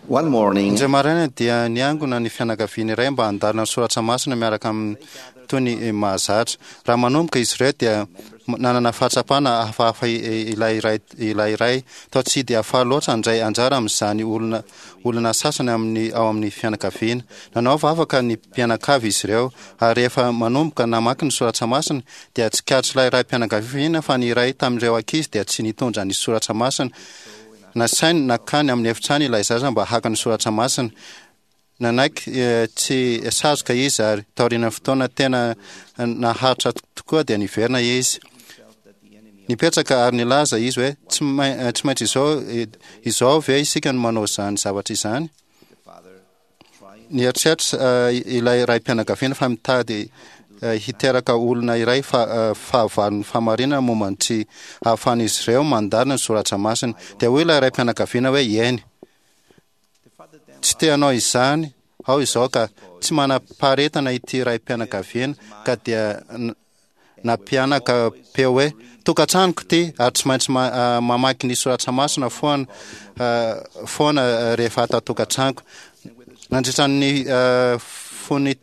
One morning, Indray maraina dia niangona ny fianakaviana iray mba handalina ny soratra masina miaraka amin'ny toy ny mahazatra. Raha manomboka izy ireo dia nanana fahatsapana hafahafa ilay iray ilay iray toa tsy dia faly loatra handray anjara amin'izany olona olona sasany amin'ny ao amin'ny fianakaviana. Nanao vavaka ny mpianakavy izy ireo ary rehefa manomboka namaky ny soratra masina dia tsikaritr'ilay raim-pianakaviana fa ny iray tamin'ireo ankizy dia tsy nitondra ny soratra masina. Nasainy nankany amin'ny efitrano ilay zaza mba haka ny soratra masina. Nanaiky tsy sazoka izy ary taorian'ny fotoana tena naharitra tokoa dia niverina izy. Nipetraka ary nilaza izy hoe, Tsy tsy maintsy izao izao ve isika no manao izany zavatra izany? Nieritreritra ilay raim-pianakaviana fa mitady hiteraka olona iray fahavalon'ny fahamarinana momba ny tsy ahafahan'izy ireo mandalina ny soratra masina. Dia hoy ilay raim-pianakaviana hoe, Eny. Tsy te hanao izany aho izao ka. Tsy manam-paharetana ity raim-pianakaviana ka dia nampianaka peo hoe, Tokantranoko ity ary tsy maintsy mamaky ny soratra masina foana foana rehefa ato an-tokantranoko. Nandritra ny fony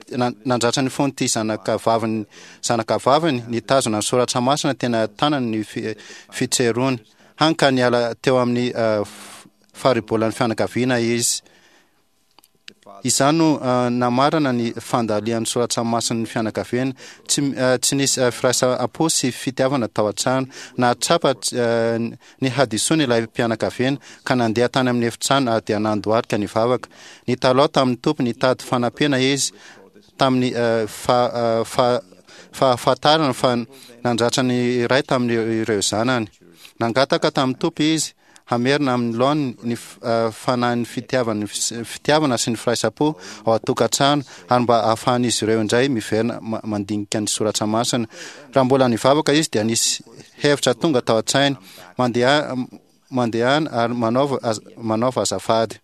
nandratra ny fon'ity zanaka vaviny zanaka vaviny nitazona ny soratra masina tena tanany ny fitserony, hany ka niala teo amin'ny faribolan'ny fianakaviana izy. Izany no namarana ny fandalian'ny soratra masin'ny fianakaviana. Tsy, tsy nisy firaisam-po sy fitiavana tao an-trano. Nahatsapa ny hadisoany ilay mpianakaviana ka nandeha tany amin'ny efitrano ary dia nandohalika nivavaka. Nitalaho tamin'ny Tompo nitady fanampiana izy tamin'ny fahafantarana fa nandratra ny iray tamin'ireo zanany. Nangataka tamin'ny Tompo izy hamerina amin'ny laoniny ny fanahin'ny fitiavana fitiavana sy ny firaisam-po ao an-tokantrano ary mba hahafahan'izy ireo indray miverina mandinika ny soratra masina. Raha mbola nivavaka izy dia nisy hevitra tonga tao an-tsainy, Mandeha mandehana ary manaova manaova azafady.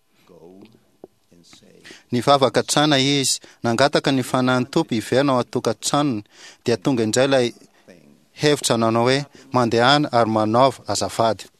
Nivavaka hatrana izy, nangataka ny fanahin'ny Tompo hiverina ao an-tokantranony, dia tonga indray ilay hevitra nanao hoe, Mandehana ary manaova azafady.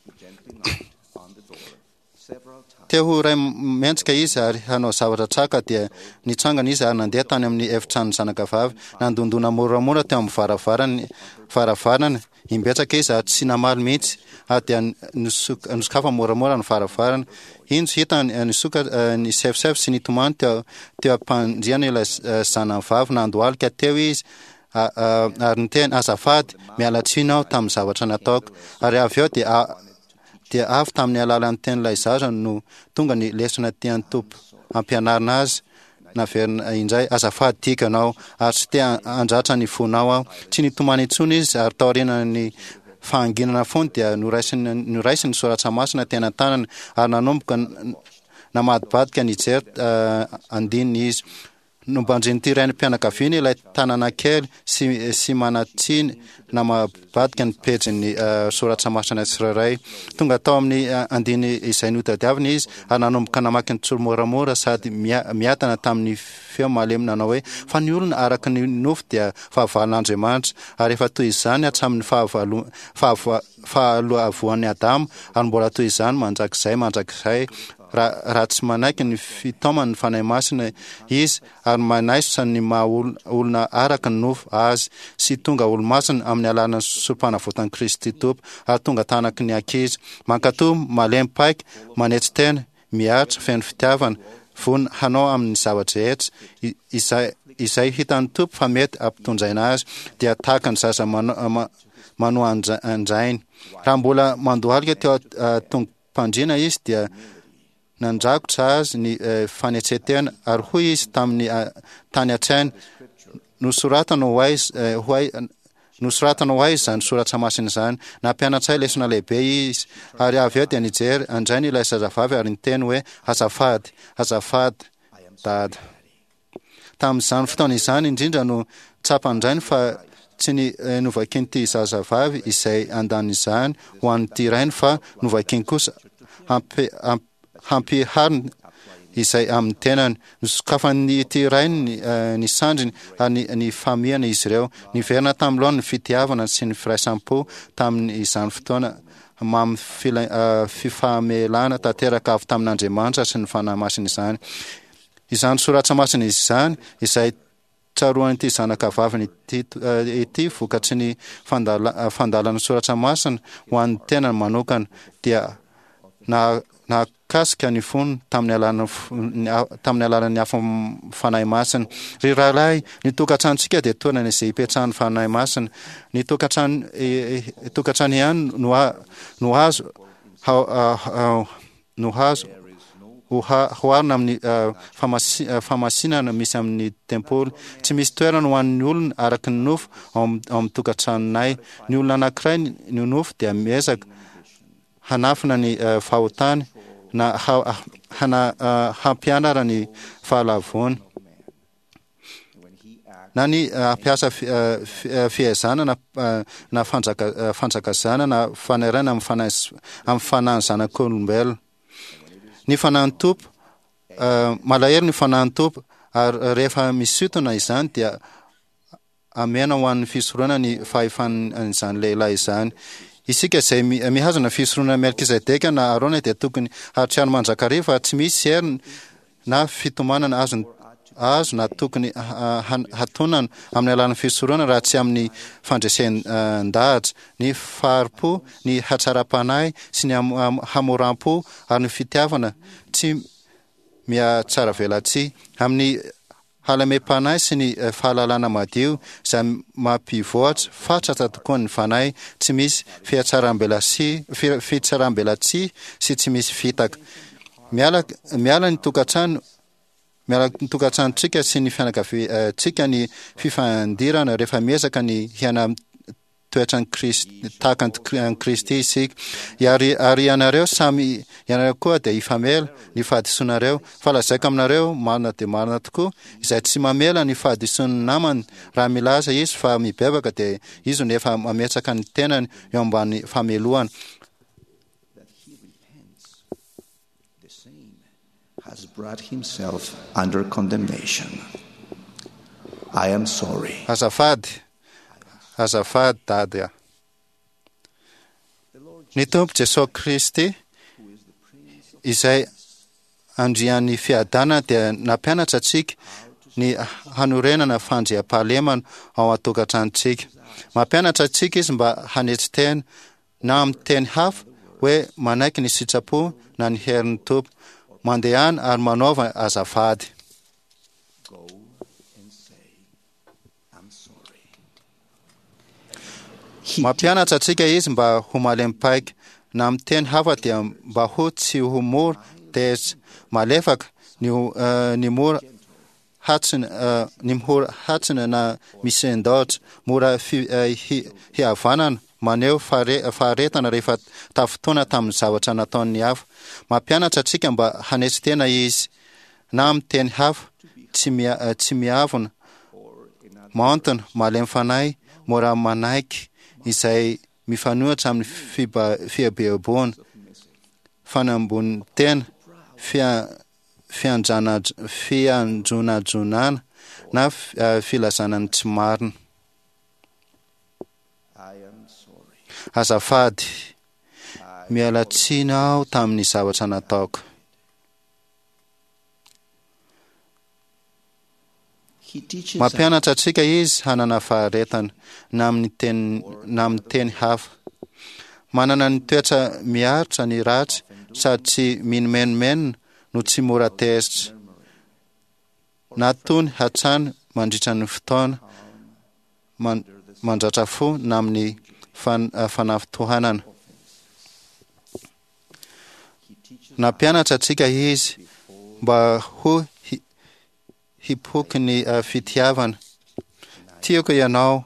Te ho ray mendrika izy ary hanao zavatra tsara ka dia nitsangana izy ary nandeha tany amin'ny efitranon'ny zanakavavy. Nandondona moramora teo amin'ny varavarany varavarana Imbetsaka izy ary tsy namaly mihitsy, ary dia nosokafany moramora ny varavarana. Injo hitany nisoka nisefosefo sy nitomany teo teo am-pandriana ilay zanany vavy. Nandohalika teo izy ary niteny, Azafady, miala tsiny aho tamin'ny zavatra nataoko. Ary avy eo dia dia avy tamin'ny alalan'ny tenin'ilay zaza no tonga ny lesona tian'ny Tompo hampianarina azy, naverina indray, Azafady tiako ianao, ary tsy te handratra ny fonao aho. Tsy nitomany intsony izy, ary taorian'ny fahanginana fony dia noraisiny noraisiny ny soratra masina teny an-tanany ary nanomboka namadibadika nijery andininy izy. Nobanjin'ity renim-pianakaviana ilay tanana kely sy sy manan-tsiny namadibadika ny pejin'ny soratra masina tsirairay. Tonga tao amin'ny andiny izay notadiaviny izy ary nanomboka namaky ny tsimoramora sady miadana tamin'ny feo malemy nanao hoe, Fa ny olona araka ny nofo dia fahavalon'Andriamanitra, ary efa toy izany hatramin'ny fahalavoan'i Adama, ary mbola toy izany mandrakizay mandrakizay, raha tsy manaiky ny fitaoman'ny Fanahy Masina izy ary manaisotra ny maha olona araka ny nofo azy sy tonga olomasina amin'ny alalan'ny sorompanavotan'i Kristy Tompo ary tonga tanaky ny ankizy mankatò, malemy paika, manetry tena, miaritra, feno fitiavana, vonona hanao amin'ny zava-drehetra izay izay hitan'ny Tompo fa mety hampitondraina azy, dia tahaka ny zaza manoa an-drainy. Raha mbola mandohalika teo an-tongo-pandriana izy dia Nandrakotra azy ny fanetren-tena, ary hoy izy tamin'ny tany an-tsainy, Nosoratana ho ahy, ho ahy, nosoratana ho ahy izany soratra masina izany. Nampianatra ahy lesona lehibe izy. Ary avy eo dia nijery an-drainy ilay zazavavy ary niteny hoe, Azafady, azafady, Dada. Tamin'izany fotoana izany indrindra no tsapan-drainy fa tsy ny novakian'ity zazavavy izay andanin'izany ho an'ity rainy fa novakiany kosa hampihariny izay amin'ny tenany. Nosokafan'ity rainy ny sandriny ary nifamihana izy ireo. Niverina tamin'ny laoniny ny fitiavana sy ny firaisam-po tamin'izany fotoana. mamy fifamelana tanteraka avy tamin'Andriamanitra sy ny Fanahy Masina izany. Izany soratra masina izany izay tsaroan'ity zanaka vaviny ity ity vokatry ny fandalan'ny soratra masina ho an'ny tenany manokana dia nahakasika ny fony tamin'ny alalan'ny tamin'ny alalan'ny afon'ny Fanahy Masina. Ry rahalahy, ny tokantranontsika dia toerana izay ipetrahan'ny Fanahy Masina. Ny tokantrano tokantrano ihany no no azo no azo oharina amin'ny famasinana misy amin'ny tempoly. Tsy misy toerana ho an'ny olona araka ny nofo ao amin'ny tokantranonay. Ny olona anankiray ny nofo dia miezaka hanafina ny fahotany na hampianara ny fahalavoany na ny hampiasa fihazana na na fanjakazana na fanairana amin'ny fanahy amin'ny fanahin'ny zanak'olombelona. Ny fanahin'ny Tompo malahelo ny fanahin'ny Tompo ary rehefa misintona izany dia Amena ho an'ny fisoronana ny fahefan'izany lehilahy izany. Isika izay mihazona fisoronana Melkizedeka na Arona dia tokony hahatsiaro mandrakariva fa tsy misy hery na fitomanana azony azo na tokony hatonana amin'ny alalan'ny fisoronana raha tsy amin'ny fandresen-dahatra, ny fahari-po, ny hatsaram-panahy sy ny hamoram-po ary ny fitiavana tsy mihatsaravelatsihy. Amin'ny Halamem-panahy sy ny fahalalana madio izay mampivoatra fatratra tokoa ny fanahy, tsy misy fihatsarambelatsihy fitsaram-belatsihy sy tsy misy fitaka. Miala miala ny tokantrano miala ny tokantranontsika sy ny fianakaviantsika ny fifandirana rehefa miezaka ny hiaina toetran'i Kristy, tahaka an'i Kristy isika. Ary, ary ianareo samy, ianareo koa dia hifamela ny fahadisoanareo. Fa lazaiko aminareo, marina dia marina tokoa, izay tsy mamela ny fahadisoan'ny namany, raha milaza izy fa mibebaka, dia izy no efa mametraka ny tenany eo ambany famelohana. Has brought himself under condemnation. I am sorry. Azafady, azafady Dady a. Ny Tompo Jesoa Kristy izay Andrian'ny fiadanana dia nampianatra antsika ny hanorenana fandriampahalemana ao an-tokantranontsika. Mampianatra antsika Izy mba hanetry tena na amin'ny teny hafa hoe manaiky ny sitrapo na ny herin'ny Tompo. Mandehana ary manaova azafady. Mampianatra antsika Izy mba ho malemy paika, na amin'ny teny hafa dia mba ho tsy ho mora tezitra, malefaka, ny ny mora hatsina, ny mora hatsina na misendaotra, mora hihavanana, maneho faharetana rehefa tafintohina tamin'ny zavatra nataon'ny hafa. Mampianatra antsika mba hanetry tena Izy, na amin'ny teny hafa, tsy tsy miavona, maontina, malemy fanahy, mora manaiky izay mifanohitra amin'ny fieboeboana, fanambonian-tena, fianjonajonana na filazana ny tsy marina. Azafady, miala tsiny aho tamin'ny zavatra nataoko. Mampianatra antsika izy hanana faharetana, na amin'ny teny na amin'ny teny hafa. Manana ny toetra miaritra ny ratsy sady tsy minomenomenona no tsy mora tezitra, na tony hatrany mandritra ny fotoana mandratra fo na amin'ny fanafintohanana. Nampianatra antsika Izy mba ho hipoky ny fitiavana. Tiako ianao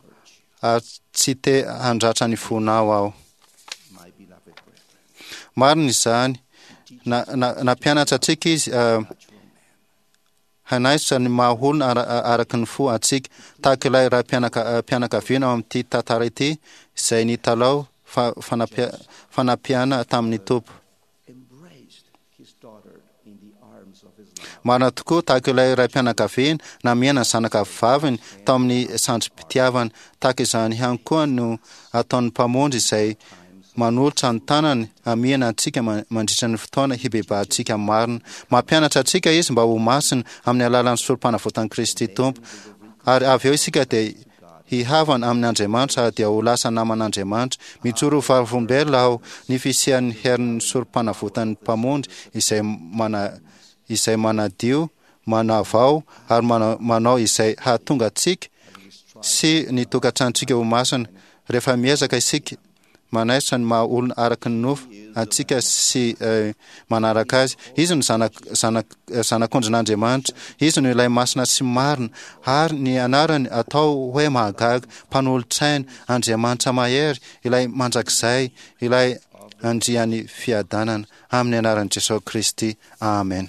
ary tsy te handratra ny fonao aho. Marina izany. Nampianatra antsika Izy hanaisotra ny maha olona araka ny fo antsika, tahaka ilay raim-pianakaviana ao amin'ity tantara ity izay nitalaho fanampiana tamin'ny Tompo. Marina tokoa, tahaka ilay raim-pianakaviana namihana ny zanaka vaviny tao amin'ny sandrim-pitiavana, tahaka izany ihany koa no ataon'ny Mpamonjy izay manolotra ny tanany hamihana antsika mandritra ny fotoana hibebahantsika marina. Mampianatra antsika Izy mba ho masina amin'ny alalan'ny Sorompanavotan'i Kristy Tompo. Ary avy eo isika dia hihavana amin' Andriamanitra ary dia ho lasa naman' Andriamanitra. Mijoro ho vavolombelona aho ny fisian'ny herin'ny Sorompanavotan'ny Mpamonjy izay mana izay manadio, manavao ary manao izay hahatonga antsika sy ny tokantranontsika ho masina. Rehefa miezaka isika manaisotra ny maha olona araka ny nofo antsika sy manaraka Azy. Izy no zanak, zanak, zanak'ondrin'Andriamanitra. Izy no ilay masina sy marina, ary ny anarany atao hoe mahagaga, mpanolotsaina, Andriamanitra mahery, ilay mandrakizay, ilay Andrian'ny fiadanana. Amin'ny anaran'i Jesosy Kristy. Amen.